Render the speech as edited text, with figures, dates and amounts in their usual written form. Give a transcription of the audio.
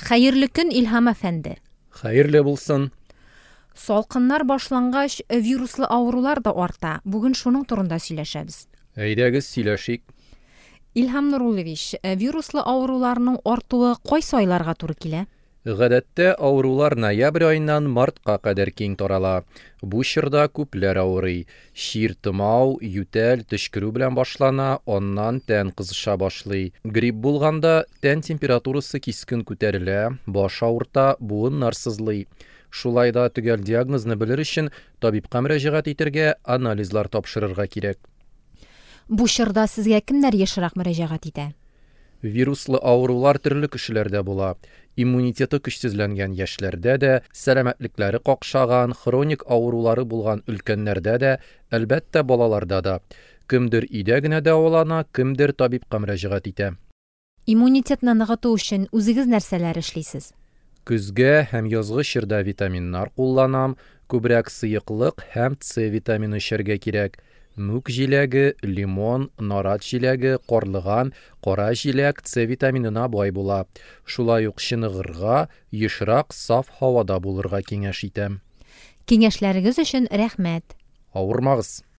Хәерле көн, Илһам әфәнде! Хәерле булсын! Салкыннар башлангач, вируслы авырулар да арта. Бүген шуның турында сөйләшәбез. Әйдәгез, сөйләшик. Илһам Нуруллович, вируслы авыруларның артуы кайсы айларга туры килә? Гадәттә, авырулар ноябрь аеннан мартка кадәр киң тарала. Бу чорда күпләр авырый. Чир томау, ютәл, төчкерү белән башлана, аннан тән кызыша башлый. Грипп булганда, тән температурасы кискен күтәрелә, баш авырта, буыннар сызлый. Шулай да төгәл диагнозны белер өчен табибка мөрәҗәгать итәргә, анализлар тапшырырга кирәк. Бу чорда сезгә кемнәр ешрак мөрәҗәгать итә? Вируслы авырулар төрле кешеләрдә була. Иммунитеты көчсезләнгән яшьләрдә дә, сәламәтлекләре какшаган, хроник авырулары булган өлкәннәрдә дә, әлбәттә, балаларда да. Кемдер өйдә генә дәвалана, кемдер табибка мөрәҗәгать итә. Иммунитетны ныгыту өчен үзегез нәрсәләр эшлисез? Көзге һәм язгы чорда витаминнар кулланам, күбрәк сыеклык һәм С витамины эчәргә кирәк. Мүк җиләге, лимон, нарат җиләге, карлыган, кара җиләк С витаминына бай була. Шулай ук чыныгырга, ешрак саф һавада булырга киңәш итәм. Киңәшләрегез өчен рәхмәт. Авырмагыз!